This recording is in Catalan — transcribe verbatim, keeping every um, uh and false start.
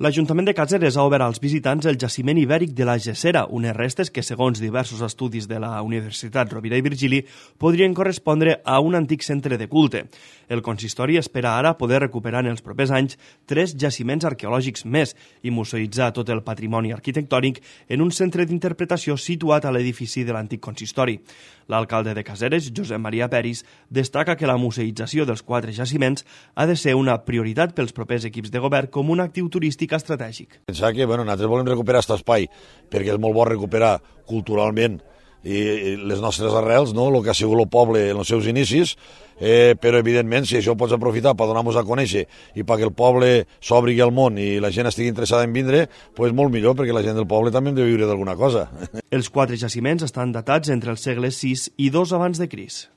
L'Ajuntament de Caseres ha obert als visitants el jaciment ibèric de la Gessera, unes restes que, segons diversos estudis de la Universitat Rovira i Virgili, podrien correspondre a un antic centre de culte. El consistori espera ara poder recuperar en els propers anys tres jaciments arqueològics més i museïtzar tot el patrimoni arquitectònic en un centre d'interpretació situat a l'edifici de l'antic consistori. L'alcalde de Caseres, Josep Maria Peris, destaca que la museïtzació dels quatre jaciments ha de ser una prioritat pels propers equips de govern com un actiu turístic estratègic. Pensar que bueno, nosaltres volem recuperar aquest espai perquè és molt bo recuperar culturalment i les nostres arrels, no? El que ha sigut el poble en els seus inicis, eh, però evidentment si això ho pots aprofitar per donar-nos a conèixer i perquè el poble s'obri al món i la gent estigui interessada en vindre, doncs molt millor, perquè la gent del poble també hem de viure d'alguna cosa. Els quatre jaciments estan datats entre els segles sis i dos abans de Crist.